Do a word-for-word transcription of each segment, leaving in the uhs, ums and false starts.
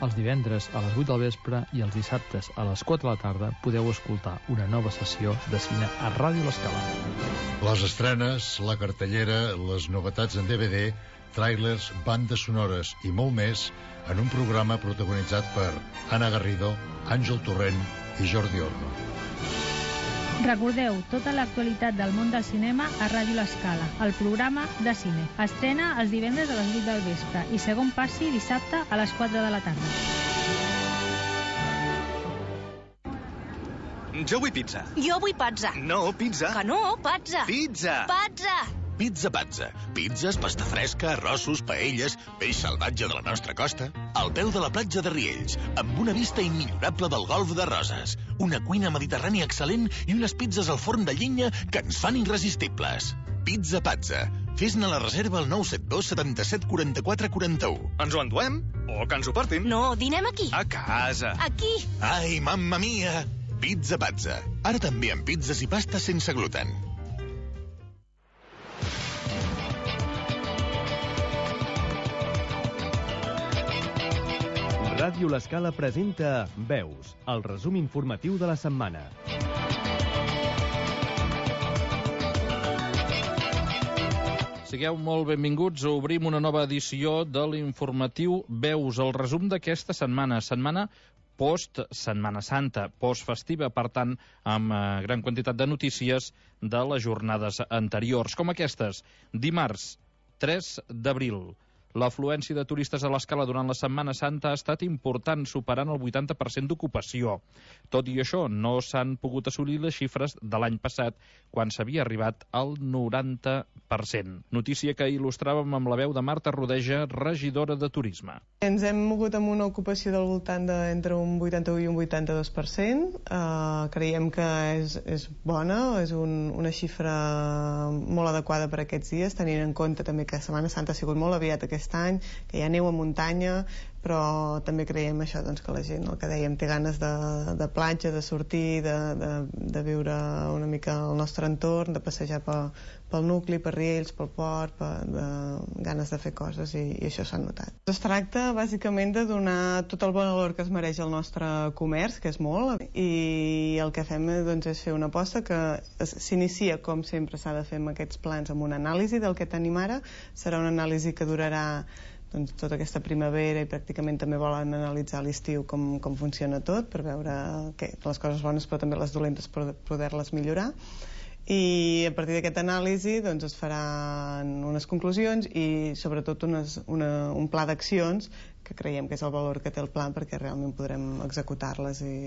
Els divendres a les vuit del vespre i els dissabtes a les quatre de la tarda podeu escoltar una nova sessió de cine a Ràdio L'Escala. Les estrenes, la cartellera, les novetats en D V D, tràilers, bandes sonores i molt més en un programa protagonitzat per Anna Garrido, Àngel Torrent i Jordi Orno. Recordeu tota l'actualitat del món del cinema a Ràdio L'Escala, el programa de cine. Estrena els divendres a les vuit del vespre i segon passi dissabte a les quatre de la tarda. Jo vull pizza. Jo vull pazza. No, pizza. Que no, pazza. Pizza. Pazza. Pizza Pazza. Pizzas, pasta fresca, arrossos, paelles, peix salvatge de la nostra costa, al peu de la platja de Riells, amb una vista immillorable del golf de Roses, una cuina mediterrània excel·lent i unes pizzas al forn de llenya que ens fan irresistibles. Pizza Pazza. Fes-ne la reserva al nou set dos setanta-set quaranta-quatre quaranta-u. Ens ho enduem? O que ens ho portin? No, dinem aquí. A casa. Aquí. Ai, mamma mia! Pizza Pazza. Ara també amb pizzas i pastes sense gluten. Ràdio L'Escala presenta Veus, el resum informatiu de la setmana. Sigueu molt benvinguts, obrim una nova edició de l'informatiu Veus, el resum d'aquesta setmana, setmana post-Setmana Santa, post-festiva, per tant, amb eh, gran quantitat de notícies de les jornades anteriors, com aquestes. Dimarts, tres d'abril. L'afluència de turistes a l'Escala durant la Setmana Santa ha estat important, superant el vuitanta per cent d'ocupació. Tot i això, no s'han pogut assolir les xifres de l'any passat, quan s'havia arribat al noranta per cent. Notícia que il·lustràvem amb la veu de Marta Rodeja, regidora de Turisme. Ens hem mogut amb una ocupació del voltant d'entre un vuitanta-u i un vuitanta-dos per cent. Uh, creiem que és, és bona, és un, una xifra molt adequada per aquests dies, tenint en compte també que Setmana Santa ha sigut molt aviat aquest any, que hi ha neu a muntanya, però també creiem això, doncs, que la gent, el que dèiem, té ganes de, de platja, de sortir, de, de, de viure una mica el nostre entorn, de passejar pel, pel nucli, per Riells, pel port, per, de, ganes de fer coses, i, i això s'ha notat. Es tracta bàsicament de donar tot el bon valor que es mereix el nostre comerç, que és molt, i el que fem doncs, és fer una aposta que s'inicia, com sempre s'ha de fer amb aquests plans, amb una anàlisi del que tenim ara. Serà una anàlisi que durarà doncs, tota aquesta primavera, i pràcticament també volen analitzar a l'estiu com, com funciona tot, per veure que, les coses bones però també les dolentes, per poder-les millorar. I a partir d'aquesta anàlisi doncs, es faran unes conclusions i sobretot unes, una, un pla d'accions que creiem que és el valor que té el pla, perquè realment podrem executar-les i,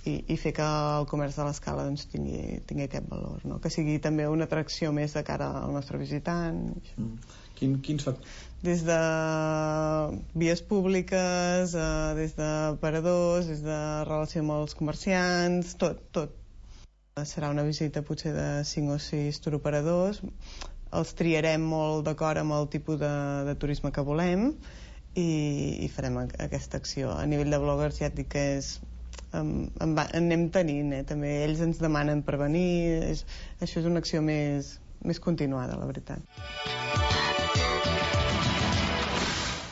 i, i fer que el comerç de l'Escala doncs, tingui, tingui aquest valor, no? Que sigui també una atracció més de cara al nostre visitant. Mm. Quin, quins factors? Des de vies públiques, eh, des d'aparadors, des de relació amb els comerciants, tot, tot. Serà una visita potser de cinc o sis turoperadors. Els triarem molt d'acord amb el tipus de, de turisme que volem i, i farem aquesta acció. A nivell de bloggers ja et dic que és en, en, en anem tenint, eh? També ells ens demanen per venir. És, això és una acció més, més continuada, la veritat.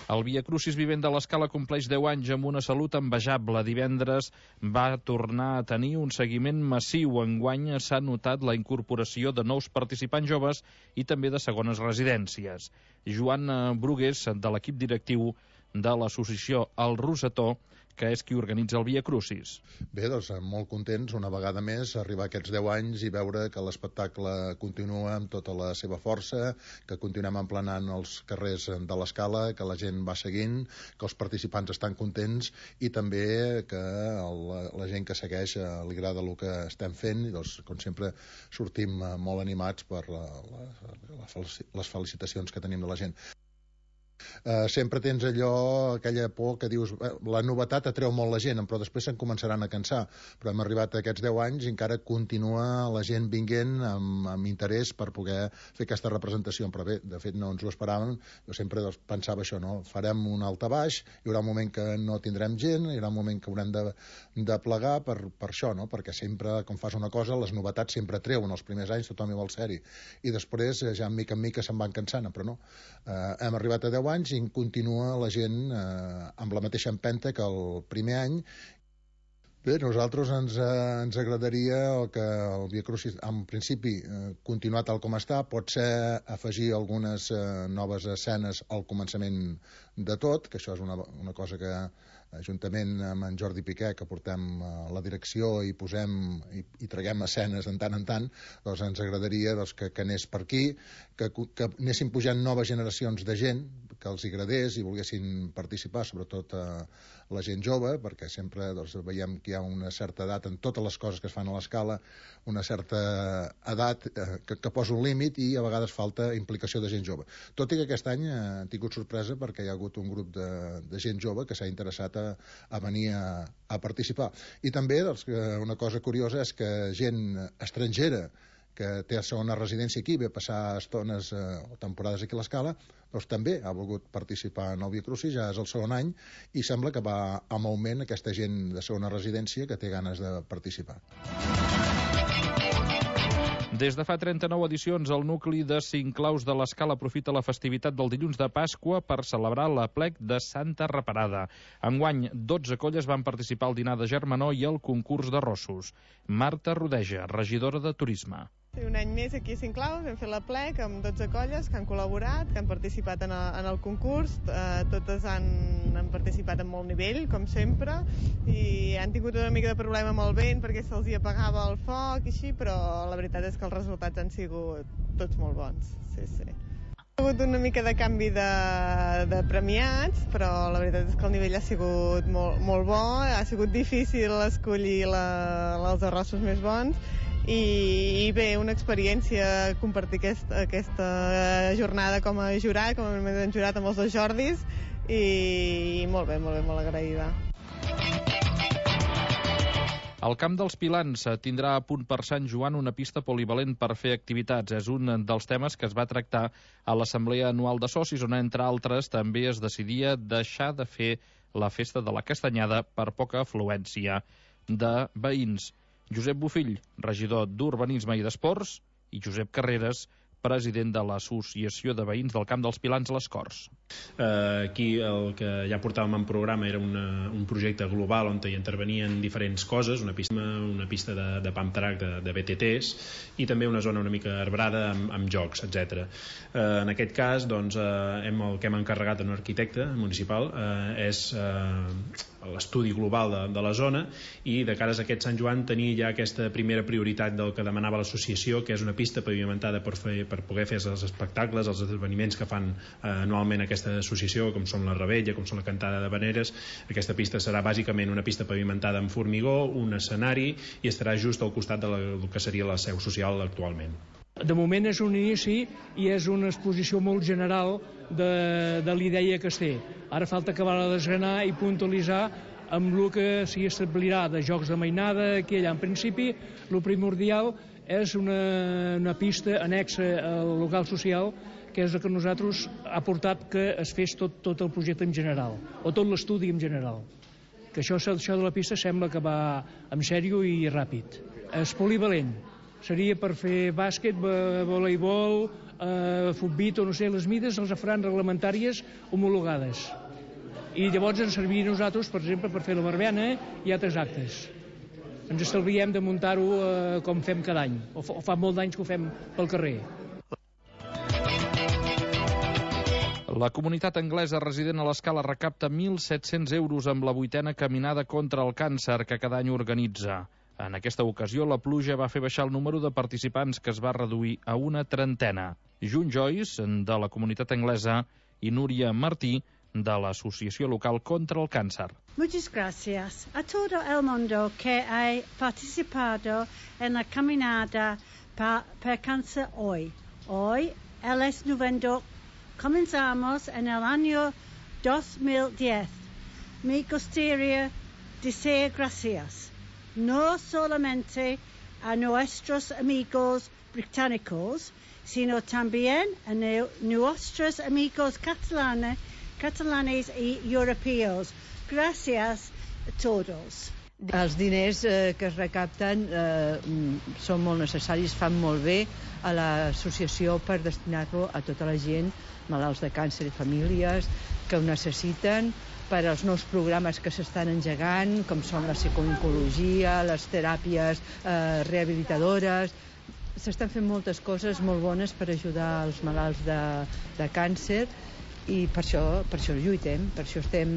El Via Crucis Vivent de l'Escala compleix deu anys amb una salut envejable. Divendres va tornar a tenir un seguiment massiu. Enguany s'ha notat la incorporació de nous participants joves i també de segones residències. Joan Brugués, de l'equip directiu de l'associació El Rosetó, que és qui organitza el Via Crucis. Bé, doncs molt contents una vegada més arribar a aquests deu anys i veure que l'espectacle continua amb tota la seva força, que continuem emplenant els carrers de l'Escala, que la gent va seguint, que els participants estan contents i també que el, la gent que segueix li agrada el que estem fent i doncs, com sempre sortim molt animats per la, la, la, les felicitacions que tenim de la gent. Uh, sempre tens allò, aquella por que dius eh, la novetat atreu molt la gent, però després se'n començaran a cansar, però hem arribat a aquests deu anys i encara continua la gent vinguent amb, amb interès per poder fer aquesta representació, però bé, de fet no ens ho esperàvem. Jo sempre doncs, pensava això, no? Farem un altabaix, hi haurà un moment que no tindrem gent, hi haurà un moment que haurem de, de plegar per, per això, no? Perquè sempre, com fas una cosa, les novetats sempre atreuen. Els primers anys tothom hi vol ser-hi i després ja mica en mica se'n van cansant, però no, uh, hem arribat a deu anys anys i continua la gent eh, amb la mateixa empenta que el primer any. Bé, nosaltres ens, eh, ens agradaria que el Via Crucis, en principi, eh, continuar tal com està, pot ser afegir algunes eh, noves escenes al començament de tot, que això és una, una cosa que, juntament amb en Jordi Piqué, que portem eh, la direcció i posem i, i traguem escenes en tant en tant, doncs ens agradaria doncs, que, que anés per aquí, que, que anessin pujant noves generacions de gent, que els agradés i volguessin participar, sobretot eh, la gent jove, perquè sempre doncs, veiem que hi ha una certa edat en totes les coses que es fan a l'escala, una certa edat eh, que, que posa un límit i a vegades falta implicació de gent jove. Tot i que aquest any eh, han tingut sorpresa perquè hi ha hagut un grup de, de gent jove que s'ha interessat a, a venir a, a participar. I també doncs, una cosa curiosa és que gent estrangera que té segona residència aquí, ve a passar estones eh, o temporades aquí a l'Escala, doncs també ha volgut participar en el Via Crucis, ja és el segon any, i sembla que va amb augment aquesta gent de segona residència que té ganes de participar. Des de fa trenta-nou edicions, el nucli de Cinclaus de l'Escala aprofita la festivitat del dilluns de Pasqua per celebrar l'aplec de Santa Reparada. Enguany, dotze colles van participar al dinar de germanor i al concurs de rossos. Marta Rodeja, regidora de Turisme. Un any més aquí a Cinclaus hem fet l'aplec amb dotze colles que han col·laborat, que han participat en el, en el concurs. Eh, totes han, han participat en molt nivell, com sempre, i han tingut una mica de problema amb el vent perquè se'ls hi apagava el foc i així, però la veritat és que els resultats han sigut tots molt bons. Sí, sí. Ha hagut una mica de canvi de, de premiats, però la veritat és que el nivell ha sigut molt, molt bo, ha sigut difícil escollir la, els arrossos més bons, i, i bé, una experiència compartir aquest, aquesta jornada com a jurat, com a membre del jurat amb els dos Jordis, i, i molt bé, molt bé, molt agraïda. El Camp dels Pilans tindrà a punt per Sant Joan una pista polivalent per fer activitats. És un dels temes que es va tractar a l'Assemblea Anual de Socis, on, entre altres, també es decidia deixar de fer la festa de la Castanyada per poca afluència de veïns. Josep Bofill, regidor d'Urbanisme i d'Esports, i Josep Carreras, president de l'Associació de Veïns del Camp dels Pilans a les Corts. Uh, aquí el que ja portàvem en programa era una, un projecte global on hi intervenien diferents coses, una pista, una pista de, de pump track, de, de B T Ts, i també una zona una mica arbrada amb, amb jocs, etcètera. Uh, en aquest cas, doncs, uh, hem, el que hem encarregat a un arquitecte municipal uh, és uh, l'estudi global de, de la zona, i de cares a aquest Sant Joan tenir ja aquesta primera prioritat del que demanava l'associació, que és una pista pavimentada per, fer, per poder fer els espectacles, els esdeveniments que fan eh, anualment aquesta associació, com són la Rebella, com són la cantada de Veneres. Aquesta pista serà bàsicament una pista pavimentada amb formigó, un escenari, i estarà just al costat de la, del que seria la seu social actualment. De moment és un inici i és una exposició molt general de, de l'idea que es té. Ara falta acabar de desgranar i puntualitzar amb el que s'hi establirà de jocs de mainada aquí allà. En principi, el primordial és una, una pista anexa al local social, que és el que nosaltres ha portat que es fes tot, tot el projecte en general, o tot l'estudi en general. Que això, això de la pista sembla que va en sèrio i ràpid. És polivalent. Seria per fer bàsquet, voleibol, eh, futbit o no sé, les mides els faran reglamentàries homologades. I llavors ens serviria a nosaltres, per exemple, per fer la barbiana i altres actes. Ens estalviem de muntar-ho eh, com fem cada any, o fa, o fa molt d'anys que ho fem pel carrer. La comunitat anglesa resident a l'Escala recapta mil set-cents euros amb la vuitena caminada contra el càncer que cada any organitza. En aquesta ocasió, la pluja va fer baixar el número de participants, que es va reduir a una trentena. June Joyce, de la comunitat anglesa, i Núria Martí, de l'Associació Local contra el Càncer. Muchas gracias. A todo el mundo que ha participado en la caminada pa, per cáncer hoy. Hoy, el es noveno. Comenzamos en el año dos mil diez. Me gustaría decir gracias, no solamente a nuestros amigos británicos, sino también a nuestros amigos catalanes, catalanes y europeos. Gracias a todos. Els diners eh, que es recapten eh, són molt necessaris, fan molt bé a l'associació per destinar-lo a tota la gent, malalts de càncer i famílies que ho necessiten, per als nous programes que s'estan engegant, com són la psicooncologia, les teràpies eh, rehabilitadores. S'estan fent moltes coses molt bones per ajudar els malalts de, de càncer i per això, per això lluitem, per això estem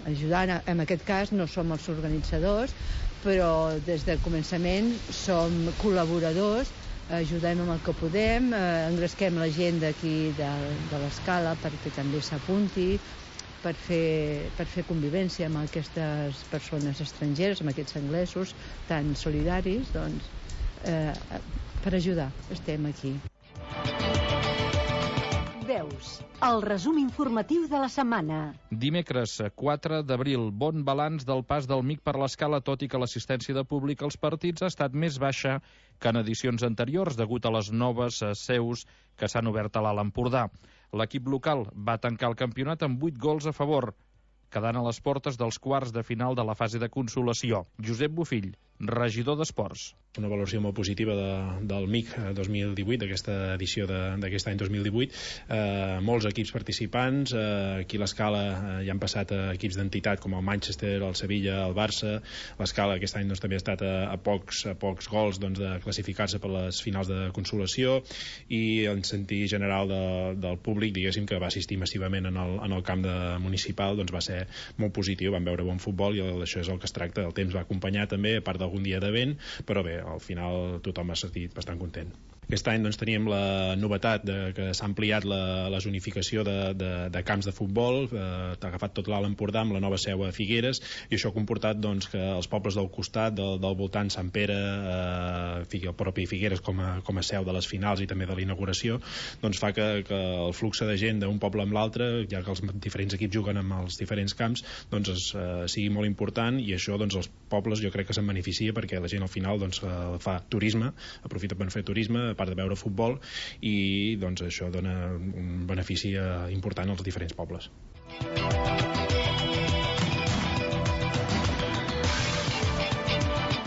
ajudant. En aquest cas no som els organitzadors, però des del començament som col·laboradors, ajudem amb el que podem, eh, engresquem la gent d'aquí de, de l'Escala perquè també s'apunti, per fer, per fer convivència amb aquestes persones estrangeres, amb aquests anglesos tan solidaris, doncs, eh, per ajudar, estem aquí. Veus, el resum informatiu de la setmana. Dimecres, quatre d'abril, bon balanç del pas del M I C per l'Escala, tot i que l'assistència de públic als partits ha estat més baixa que en edicions anteriors, degut a les noves seus que s'han obert a l'Alt Empordà. L'equip local va tancar el campionat amb vuit gols a favor, quedant a les portes dels quarts de final de la fase de consolació. Josep Bofill, regidor d'Esports. Una valoració molt positiva de, del M I C dos mil divuit, d'aquesta edició d'aquest any dos mil divuit. Eh, molts equips participants, eh, aquí a l'Escala eh, hi han passat eh, equips d'entitat com el Manchester, el Sevilla, el Barça. L'Escala aquest any doncs, també ha estat a, a, pocs, a pocs gols doncs, de classificar-se per les finals de consolació, i en sentit general de, del públic, diguéssim, que va assistir massivament en el, en el camp de municipal, doncs va ser molt positiu, van veure bon futbol i això és el que es tracta. El temps va acompanyar també, a part d'algun dia de vent, però bé, al final tothom ha sentit bastant content. Aquest any doncs, teníem la novetat de que s'ha ampliat la, la zonificació de, de, de camps de futbol, eh, t'ha agafat tot l'Alt Empordà amb la nova seu a Figueres, i això ha comportat doncs, que els pobles del costat, del, del voltant, Sant Pere, eh, el propi Figueres com a, com a seu de les finals i també de l'inauguració, doncs fa que, que el flux de gent d'un poble amb l'altre, ja que els diferents equips juguen amb els diferents camps, doncs es, eh, sigui molt important, i això doncs, els pobles jo crec que se'n beneficia perquè la gent al final doncs, eh, fa turisme, aprofita per fer turisme, a part de veure futbol, i doncs això dona un benefici important als diferents pobles.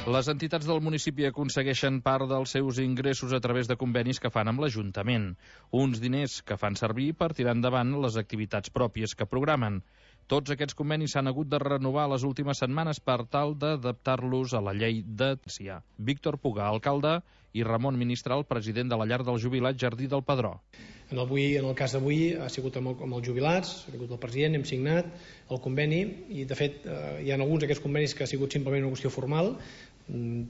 Les entitats del municipi aconsegueixen part dels seus ingressos a través de convenis que fan amb l'Ajuntament, uns diners que fan servir per tirar endavant les activitats pròpies que programen. Tots aquests convenis s'han hagut de renovar les últimes setmanes per tal d'adaptar-los a la llei de Cia. Víctor Puga, alcalde, i Ramon Ministral, president de la llar del jubilat Jardí del Pedró. En el, avui, en el cas d'avui ha sigut amb, el, amb els jubilats, ha sigut el president, hem signat el conveni, i de fet eh, hi ha alguns d'aquests convenis que ha sigut simplement una qüestió formal,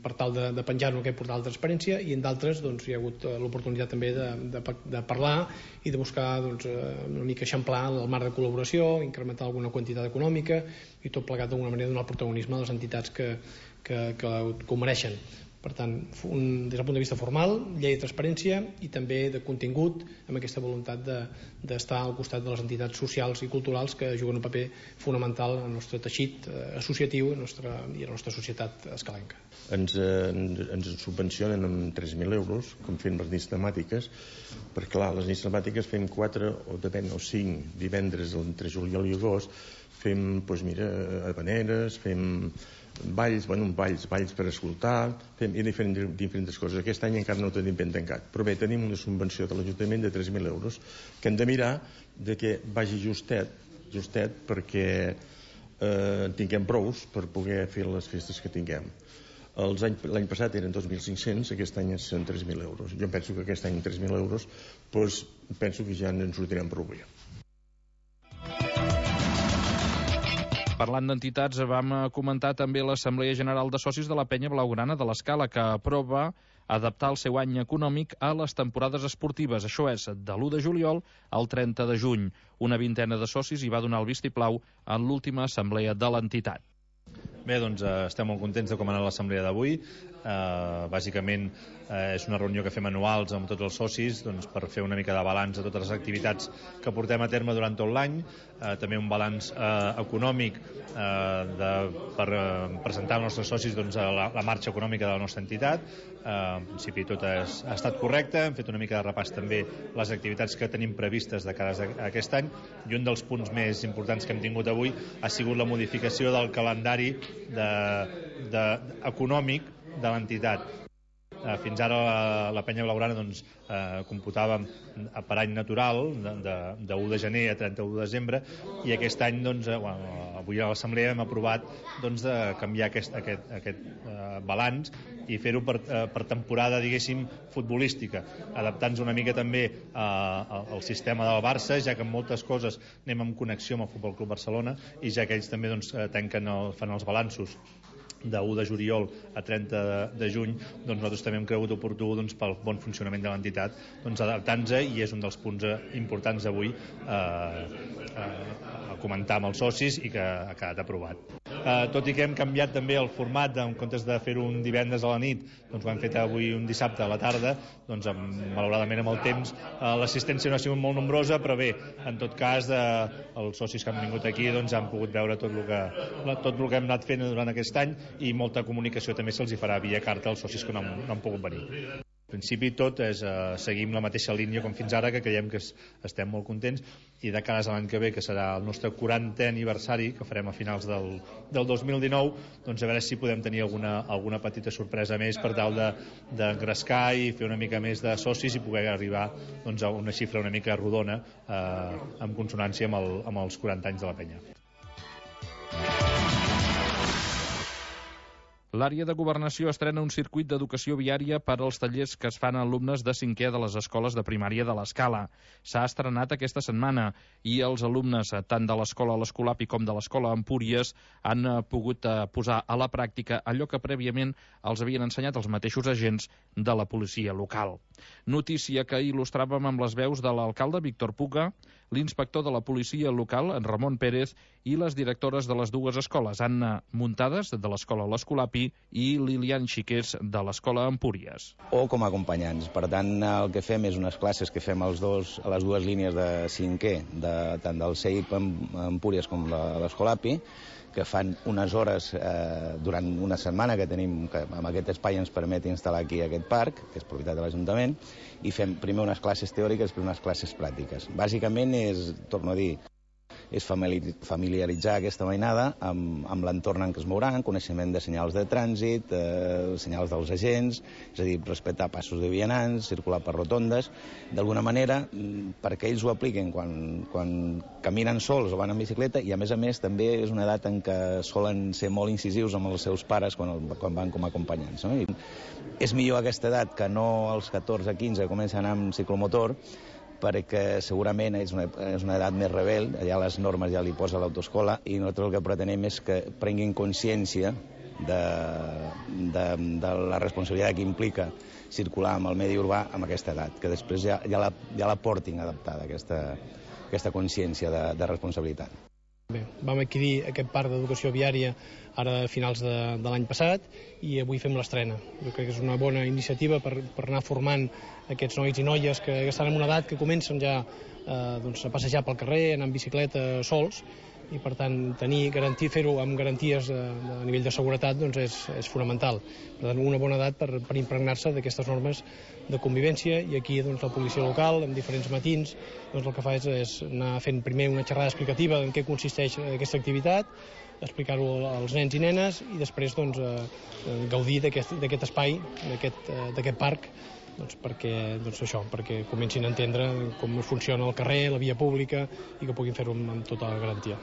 per tal de, de penjar-lo en aquest portal de transparència, i en d'altres doncs, hi ha hagut l'oportunitat també de, de, de parlar i de buscar doncs, una mica eixamplar el marc de col·laboració, incrementar alguna quantitat econòmica, i tot plegat d'alguna manera donar protagonisme a les entitats que, que, que, que ho mereixen. Per tant, un, des del punt de vista formal, llei de transparència, i també de contingut, amb aquesta voluntat d'estar de, al costat de les entitats socials i culturals que juguen un paper fonamental en el nostre teixit eh, associatiu i a la nostra societat escalenca. Ens, eh, ens subvencionen amb tres mil euros, com fem les nits temàtiques, perquè clar, les nits temàtiques fem quatre o depèn, o cinc divendres entre juliol i agost, fem, doncs mira, habaneres, fem balls, bueno, balls, balls per escoltar, fem i diferents, diferents coses. Aquest any encara no ho tenim ben tancat, però bé, tenim una subvenció de l'Ajuntament de tres mil euros que hem de mirar de que vagi justet, justet perquè eh, tinguem prous per poder fer les festes que tinguem. L'any passat eren dos mil cinc-cents, aquest any són tres mil euros. Jo penso que aquest any tres mil euros, doncs penso que ja ens sortirem prou bé. Parlant d'entitats, vam comentar també l'Assemblea General de Socis de la Penya Blaugrana de l'Escala, que aprova adaptar el seu any econòmic a les temporades esportives. Això és de l'u de juliol al trenta de juny. Una vintena de socis hi va donar el vistiplau en l'última assemblea de l'entitat. Bé, doncs estem molt contents de com ha anat l'assemblea d'avui. Eh, bàsicament eh, és una reunió que fem anuals amb tots els socis, doncs, per fer una mica de balanç de totes les activitats que portem a terme durant tot l'any, eh, també un balanç eh, econòmic eh, de, per eh, presentar als nostres socis doncs, la, la marxa econòmica de la nostra entitat. Eh, en principi tot és, ha estat correcte, hem fet una mica de repàs també les activitats que tenim previstes de cara a aquest any, i un dels punts més importants que hem tingut avui ha sigut la modificació del calendari de, de, econòmic de l'entitat. Eh, fins ara la, la penya blaugrana doncs, eh, computàvem per any natural de, de, de u de gener a trenta-u de desembre, i aquest any doncs, eh, bueno, avui a l'assemblea hem aprovat doncs, de canviar aquest, aquest, aquest eh, balanç i fer-ho per, eh, per temporada, diguéssim, futbolística, adaptant-nos una mica també eh, al sistema del Barça, ja que en moltes coses anem en connexió amb el Futbol Club Barcelona, i ja que ells també doncs, tanquen el, fan els balanços de u de juliol a trenta de juny, doncs nosaltres també hem cregut oportú, doncs, pel bon funcionament de l'entitat, doncs, adaptant-nos, i és un dels punts importants avui eh, eh, a comentar amb els socis i que ha quedat aprovat. Eh, tot i que hem canviat també el format, en comptes de fer-ho un divendres a la nit, doncs ho hem fet avui un dissabte a la tarda, doncs amb, malauradament amb el temps eh, l'assistència no ha sigut molt nombrosa, però bé, en tot cas eh, els socis que han vingut aquí doncs han pogut veure tot el que, tot el que hem anat fent durant aquest any, i molta comunicació també se'ls hi farà via carta als socis que no han, no han pogut venir. En principi tot és eh, seguim la mateixa línia com fins ara, que creiem que es, estem molt contents, i de cara a l'any que ve, que serà el nostre quarantè aniversari, que farem a finals del, del dos mil dinou, doncs a veure si podem tenir alguna, alguna petita sorpresa més per tal d'engrescar de, i fer una mica més de socis i poder arribar doncs, a una xifra una mica rodona eh, en consonància amb, el, amb els quaranta anys de la penya. L'àrea de governació estrena un circuit d'educació viària per als tallers que es fan a alumnes de cinquè de les escoles de primària de l'Escala. S'ha estrenat aquesta setmana i els alumnes tant de l'escola l'Escolapi com de l'escola Empúries han pogut posar a la pràctica allò que prèviament els havien ensenyat els mateixos agents de la policia local. Notícia que il·lustràvem amb les veus de l'alcalde Víctor Puga, l'inspector de la policia local, en Ramon Pérez, i les directores de les dues escoles, Anna Muntades, de l'escola l'Escolapi, i Lilian Xiqués, de l'escola Empúries. O com a acompanyants. Per tant, el que fem és unes classes que fem als dos, a les dues línies de cinquè, de, tant del C I P Empúries com de l'Escolapi, que fan unes hores eh, durant una setmana que tenim, que amb aquest espai ens permet instal·lar aquí aquest parc, que és propietat de l'Ajuntament, i fem primer unes classes teòriques i unes classes pràctiques. Bàsicament és, torno a dir, és familiaritzar aquesta mainada amb, amb l'entorn en què es mouran, coneixement de senyals de trànsit, eh, senyals dels agents, és a dir, respectar passos de vianants, circular per rotondes, d'alguna manera perquè ells ho apliquen quan, quan caminen sols o van en bicicleta, i a més a més també és una edat en què solen ser molt incisius amb els seus pares quan, quan van com a acompanyants. No? I és millor aquesta edat que no als catorze quinze que comencen a anar amb ciclomotor, perquè segurament és una, és una edat més rebel, allà les normes ja li posa l'autoescola, i nosaltres el que pretenem és que prenguin consciència de, de, de la responsabilitat que implica circular amb el medi urbà amb aquesta edat, que després ja, ja, la, ja la portin adaptada, aquesta, aquesta consciència de, de responsabilitat. Bé, vam adquirir aquest parc d'educació viària ara a finals de, de l'any passat, i avui fem l'estrena. Jo crec que és una bona iniciativa per, per anar formant aquests nois i noies que estan en una edat que comencen ja eh, doncs, a passejar pel carrer, anar en bicicleta sols, i per tant tenir, garantir, fer-ho amb garanties de, de nivell de seguretat doncs és, és fonamental. Per tant, una bona edat per, per impregnar-se d'aquestes normes de convivència, i aquí doncs, la policia local, en diferents matins, doncs, el que fa és, és anar fent primer una xerrada explicativa en què consisteix aquesta activitat, explicar-ho als nens i nenes, i després doncs, eh, gaudir d'aquest espai, d'aquest parc, doncs perquè, doncs això, perquè comencin a entendre com funciona el carrer, la via pública, i que puguin fer-ho amb, amb tota la garantia.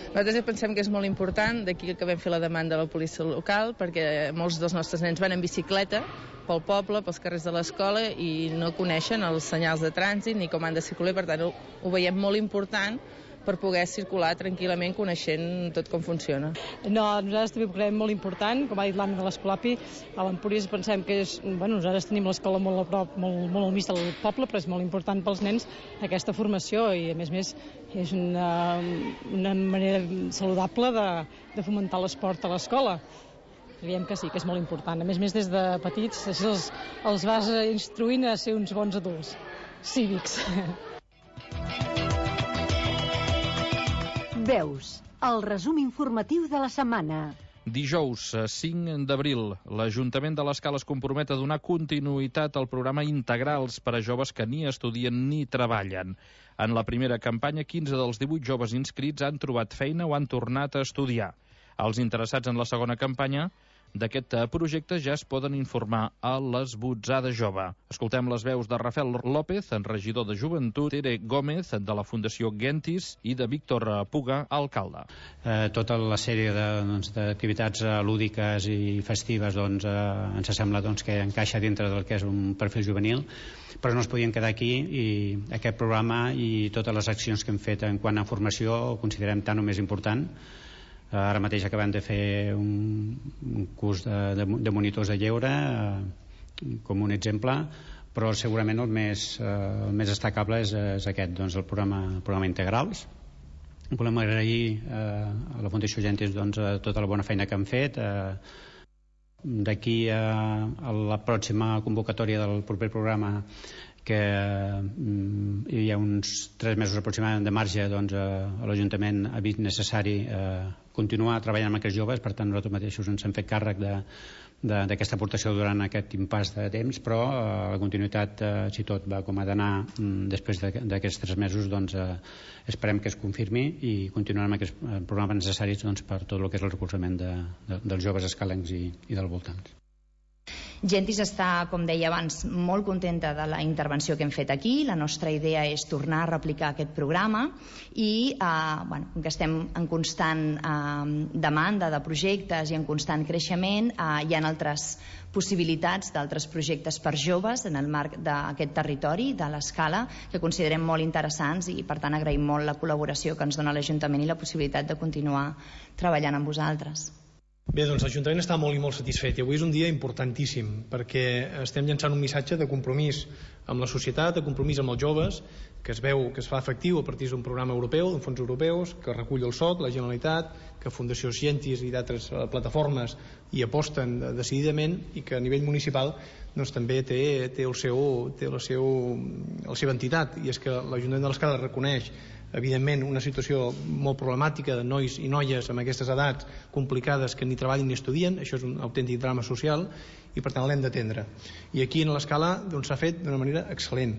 Nosaltres pensem que és molt important, d'aquí que vam fer la demanda a la policia local, perquè molts dels nostres nens van en bicicleta pel poble, pels carrers de l'escola, i no coneixen els senyals de trànsit ni com han de circular, per tant ho, ho veiem molt important per poder circular tranquil·lament coneixent tot com funciona. No, nosaltres també ho creiem molt important, com ha dit l'Anna de l'Escolapi, a l'Empúries pensem que és, bueno, nosaltres tenim l'escola molt a prop, molt, molt al mig del poble, però és molt important pels nens aquesta formació, i a més a més és una, una manera saludable de, de fomentar l'esport a l'escola. creiem que sí, que és molt important. A més a més, des de petits els, els vas instruint a ser uns bons adults cívics. Veus, el resum informatiu de la setmana. Dijous, cinc d'abril, l'Ajuntament de l'Escala es compromet a donar continuïtat al programa Integrals per a joves que ni estudien ni treballen. En la primera campanya, quinze dels divuit joves inscrits han trobat feina o han tornat a estudiar. Els interessats en la segona campanya d'aquest projecte ja es poden informar a l'Esbotzada Jove. Escoltem les veus de Rafael López, regidor de Joventut, Tere Gómez, de la Fundació Gentis, i de Víctor Puga, alcalde. Eh, tota la sèrie d'activitats doncs, lúdiques i festives doncs, eh, ens sembla doncs, que encaixa dintre del que és un perfil juvenil, però no es podien quedar aquí i aquest programa i totes les accions que hem fet en quant a formació ho considerem tan o més important. Ara mateix acabem de fer un, un curs de, de, de monitors de lleure eh, com un exemple, però segurament el més, eh, el més destacable és, és aquest, doncs, el programa, el programa Integrals. Volem agrair eh, a la Fundació Gentis doncs, tota la bona feina que han fet. Eh, d'aquí a, a la pròxima convocatòria del proper programa, que mm, hi ha uns tres mesos aproximadament de marge, doncs, eh, l'Ajuntament ha vist necessari eh, continuar treballant amb aquests joves, per tant nosaltres mateixos ens hem fet càrrec d'aquesta aportació durant aquest impàs de temps, però eh, la continuïtat, eh, si tot va com ha d'anar mm, després d'aquests tres mesos, doncs eh, esperem que es confirmi i continuarem amb aquests programes necessaris doncs, per tot el que és el recolzament de, de, dels joves escalencs i, i del voltant. Gentis està, com deia abans, molt contenta de la intervenció que hem fet aquí. La nostra idea és tornar a replicar aquest programa i eh, bueno, que estem en constant eh, demanda de projectes i en constant creixement, eh, hi ha altres possibilitats d'altres projectes per joves en el marc d'aquest territori, de l'Escala, que considerem molt interessants i per tant agraïm molt la col·laboració que ens dona l'Ajuntament i la possibilitat de continuar treballant amb vosaltres. Bé, doncs l'Ajuntament està molt i molt satisfet i avui és un dia importantíssim perquè estem llançant un missatge de compromís amb la societat, de compromís amb els joves, que es veu que es fa efectiu a partir d'un programa europeu, d'un fons europeus, que recull el S O C, la Generalitat, que Fundació Gentis i d'altres plataformes hi aposten decididament i que a nivell municipal doncs, també té, té, el seu, té la, seu, la seva entitat, i és que l'Ajuntament de l'Escala reconeix evidentment una situació molt problemàtica de nois i noies amb aquestes edats complicades que ni treballen ni estudien. Això és un autèntic drama social i per tant l'hem d'atendre, i aquí en l'Escala doncs, s'ha fet d'una manera excel·lent.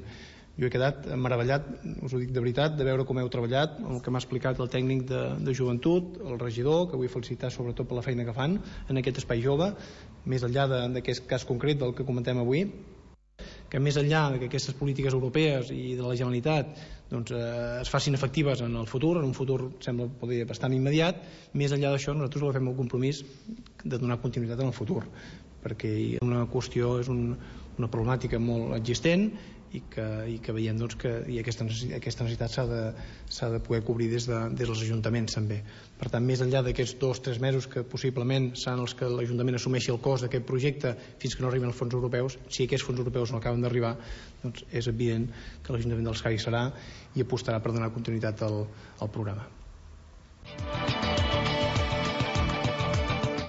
Jo he quedat meravellat, us ho dic de veritat, de veure com heu treballat, el que m'ha explicat el tècnic de, de joventut, el regidor, que vull felicitar sobretot per la feina que fan en aquest espai jove, més enllà d'aquest cas concret del que comentem avui, que més enllà que aquestes polítiques europees i de la Generalitat doncs, eh, es facin efectives en el futur, en un futur sembla poder bastant immediat. Més enllà d'això, nosaltres agafem el compromís de donar continuïtat en el futur, perquè una qüestió és un, una problemàtica molt existent i que, i que veiem doncs, que i aquesta necessitat, aquesta necessitat s'ha de, s'ha de poder cobrir des, de, des dels ajuntaments també. Per tant, més enllà d'aquests dos o tres mesos que possiblement seran els que l'Ajuntament assumeixi el cost d'aquest projecte fins que no arriben els fons europeus, si aquests fons europeus no acaben d'arribar, doncs és evident que l'Ajuntament de l'Escala hi serà i apostarà per donar continuïtat al, al programa.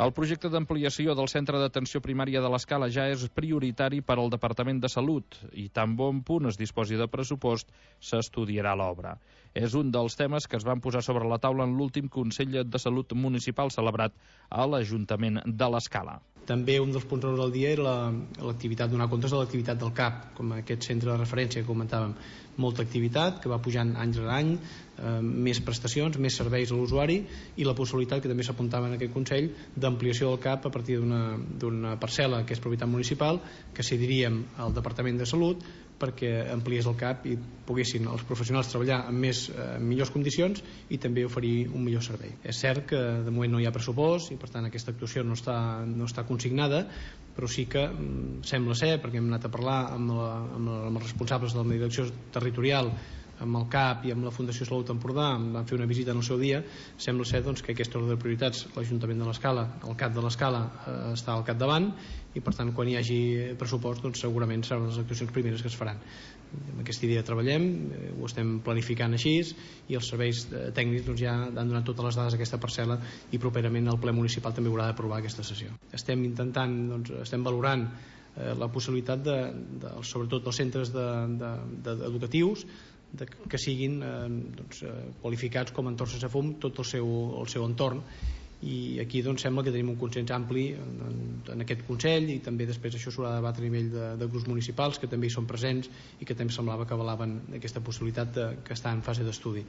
El projecte d'ampliació del centre d'atenció primària de l'Escala ja és prioritari per al Departament de Salut i tan bon punt es disposi de pressupost s'estudiarà l'obra. És un dels temes que es van posar sobre la taula en l'últim Consell de Salut Municipal celebrat a l'Ajuntament de l'Escala. També un dels punts del dia era l'activitat, donar comptes de l'activitat del C A P, com aquest centre de referència que comentàvem. Molta activitat que va pujant any rere any, eh, més prestacions, més serveis a l'usuari i la possibilitat, que també s'apuntava en aquest Consell, d'ampliació del C A P a partir d'una parcel·la que és propietat municipal, que cediríem al Departament de Salut perquè ampliés el C A P i poguessin els professionals treballar en, més, eh, en millors condicions i també oferir un millor servei. És cert que de moment no hi ha pressupost i per tant aquesta actuació no està, no està consignada, però sí que mm, sembla ser, perquè hem anat a parlar amb, la, amb, la, amb els responsables de la direcció territorial amb el C A P i amb la Fundació Salut Empordà vam fer una visita en el seu dia. Sembla ser doncs, que aquesta ordre de prioritats l'Ajuntament de l'Escala, el C A P de l'Escala eh, està al capdavant, i per tant quan hi hagi pressupost doncs, segurament seran les actuacions primeres que es faran. Amb aquesta idea treballem, eh, ho estem planificant així, i els serveis eh, tècnics doncs, ja han donat totes les dades a aquesta parcel·la, i properament el ple municipal també haurà d'aprovar aquesta sessió. Estem intentant, doncs, estem valorant eh, la possibilitat de, de, sobretot dels centres de, de, de, educatius de, que siguin eh, doncs, eh, qualificats com a entorns sense fum tot el seu, el seu entorn, i aquí doncs, sembla que tenim un consens ampli en, en aquest Consell, i també després això s'haurà de debatre a nivell de, de grups municipals que també hi són presents i que també semblava que avalaven aquesta possibilitat de, que està en fase d'estudi.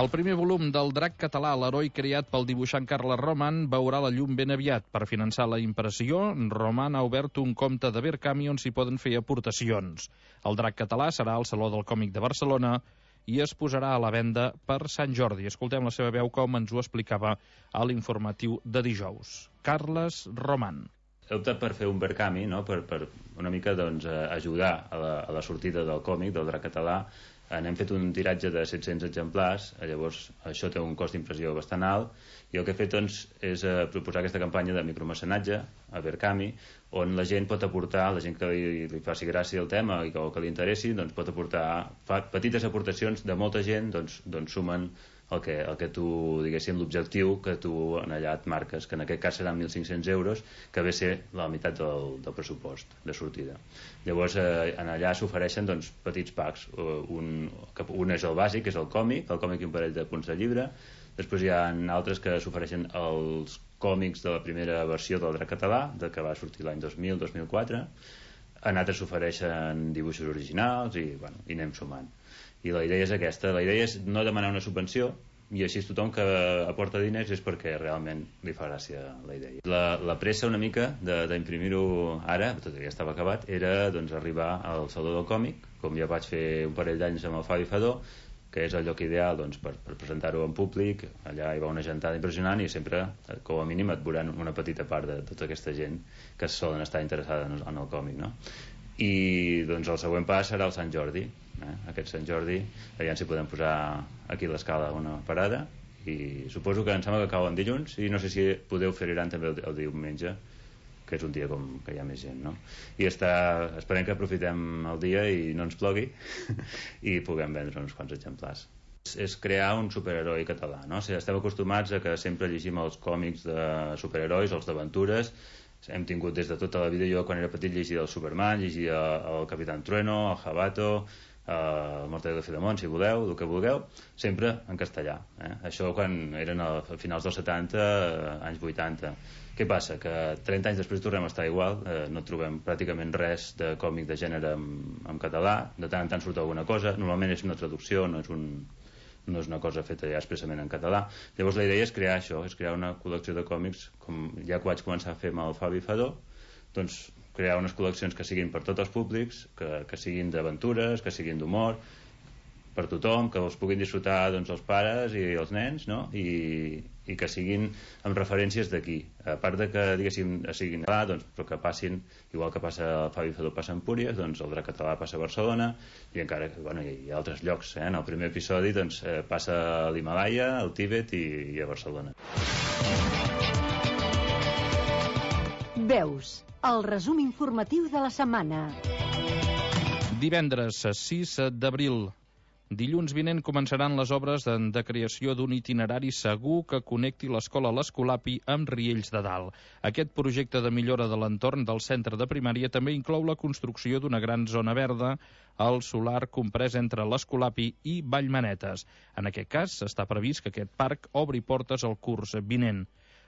El primer volum del Drac català, l'heroi creat pel dibuixant Carles Roman, veurà la llum ben aviat. Per finançar la impressió, Roman ha obert un compte de Verkami on s'hi poden fer aportacions. El Drac català serà al Saló del Còmic de Barcelona i es posarà a la venda per Sant Jordi. Escoltem la seva veu com ens ho explicava a l'informatiu de dijous. Carles Roman. He optat per fer un Verkami, no? per, per una mica doncs, ajudar a la, a la sortida del còmic, del Drac català. N'hem fet un tiratge de set-cents exemplars, llavors això té un cost d'impressió bastant alt, i el que he fet doncs, és eh, proposar aquesta campanya de micromecenatge a Verkami, on la gent pot aportar, la gent que li, li faci gràcia el tema i que, o que li interessi, doncs pot aportar fa, petites aportacions de molta gent, doncs, doncs sumen el que, el que tu, diguéssim, l'objectiu que tu en allà et marques, que en aquest cas seran mil cinc-cents euros, que ve a ser la meitat del, del pressupost de sortida. Llavors, eh, en allà s'ofereixen doncs, petits packs. Un, un és el bàsic, que és el còmic, el còmic i un parell de punts de llibre. Després hi ha altres que s'ofereixen els còmics de la primera versió del Drac català, de que va sortir l'any dos mil dos mil quatre. En altres s'ofereixen dibuixos originals i, bueno, i anem sumant. I la idea és aquesta, la idea és no demanar una subvenció, i així tothom que aporta diners és perquè realment li fa gràcia la idea. La, la pressa una mica d'imprimir-ho ara, tot ja estava acabat, era doncs, arribar al Saló del Còmic, com ja vaig fer un parell d'anys amb el Fabi Fadó, que és el lloc ideal doncs, per, per presentar-ho en públic. Allà hi va una gentada impressionant i sempre, com a mínim, et veuran una petita part de tota aquesta gent que solen estar interessada en el, en el còmic, no? I doncs el següent pas serà el Sant Jordi. Eh? Aquest Sant Jordi, allà si podem posar aquí a l'Escala una parada, i suposo que em sembla que cau en dilluns, i no sé si podeu fer Iran també el, el diumenge, que és un dia com que hi ha més gent, no? I està, esperem que aprofitem el dia i no ens plogui i puguem vendre uns quants exemplars. És, és crear un superheroi català, no? O sigui, estem acostumats a que sempre llegim els còmics de superherois, els d'aventures. Hem tingut des de tota la vida, jo quan era petit llegia el Superman, llegia el Capitán Trueno, el Jabato, el Mortadelo de Filemón, si voleu, el que vulgueu, sempre en castellà. Eh? Això quan eren a finals dels setanta, anys vuitanta. Què passa? Que trenta anys després tornem a estar igual, eh, no trobem pràcticament res de còmic de gènere en, en català, de tant en tant surt alguna cosa, normalment és una traducció, no és un... no és una cosa feta ja expressament en català. Llavors la idea és crear això, és crear una col·lecció de còmics, com ja que vaig començar a fer amb el Fabi Fadó, doncs crear unes col·leccions que siguin per tots els públics, que, que siguin d'aventures, que siguin d'humor, per tothom, que els puguin disfrutar doncs, els pares i els nens, no? I, i que siguin amb referències d'aquí. A part de que, diguéssim, siguin clar, doncs, però que passin, igual que passa el Fabi Fadó passa a Empúries, doncs el Drac català passa a Barcelona, i encara bueno, hi ha altres llocs. Eh? En el primer episodi doncs, eh, passa a l'Himalaya, al Tíbet i, i a Barcelona. Veus, el resum informatiu de la setmana. Divendres sis d'abril. Dilluns vinent començaran les obres de, de creació d'un itinerari segur que connecti l'escola l'Escolapi amb Riells de Dalt. Aquest projecte de millora de l'entorn del centre de primària també inclou la construcció d'una gran zona verda al solar comprès entre l'Escolapi i Vallmanetes. En aquest cas, està previst que aquest parc obri portes al curs vinent.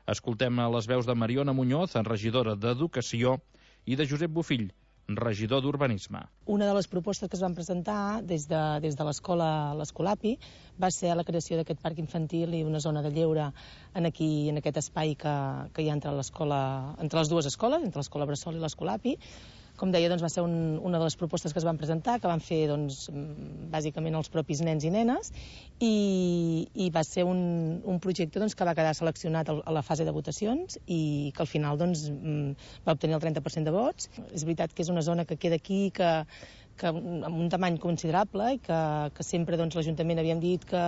Escoltem a les veus de Mariona Muñoz, regidora d'Educació, i de Josep Bofill, regidor d'Urbanisme. Una de les propostes que es van presentar des de, des de l'escola l'Escolapi va ser la creació d'aquest parc infantil i una zona de lleure en, aquí, en aquest espai que, que hi ha entre, entre les dues escoles, entre l'escola Bressol i l'Escolapi. Com deia, doncs, va ser un, una de les propostes que es van presentar, que van fer doncs, bàsicament els propis nens i nenes, i, i va ser un, un projecte doncs, que va quedar seleccionat a la fase de votacions i que al final doncs, va obtenir el trenta per cent de vots. És veritat que és una zona que queda aquí, que que amb un tamany considerable i que, que sempre doncs, l'Ajuntament havíem dit que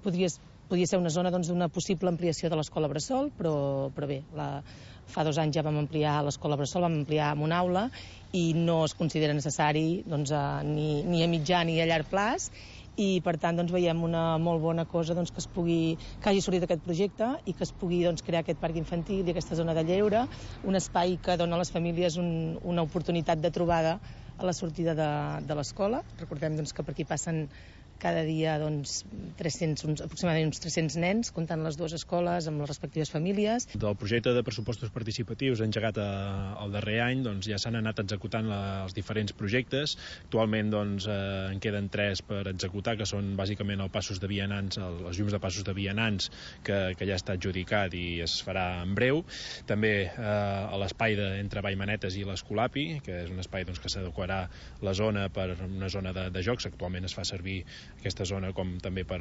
podria, podia ser una zona doncs, d'una possible ampliació de l'escola Bressol, però, però bé, la, fa dos anys ja vam ampliar l'escola Bressol, vam ampliar amb una aula i no es considera necessari doncs, a, ni, ni a mitjà ni a llarg plaç, i per tant doncs, veiem una molt bona cosa doncs, que, es pugui, que hagi sortit aquest projecte i que es pugui doncs, crear aquest parc infantil i aquesta zona de lleure, un espai que dona a les famílies un, una oportunitat de trobada a la sortida de, de l'escola. Recordem doncs, que per aquí passen cada dia doncs, tres-cents, uns, aproximadament uns tres-cents nens, comptant les dues escoles amb les respectives famílies. Del projecte de pressupostos participatius engegat a, el darrer any doncs, ja s'han anat executant la, els diferents projectes. Actualment doncs, eh, en queden tres per executar, que són bàsicament el passos de vianants, el, els llums de passos de vianants, que, que ja està adjudicat i es farà en breu. També eh, a l'espai de, entre Vallmanetes i l'Escolapi, que és un espai doncs, que s'adequarà la zona per una zona de, de jocs. Actualment es fa servir aquesta zona com també per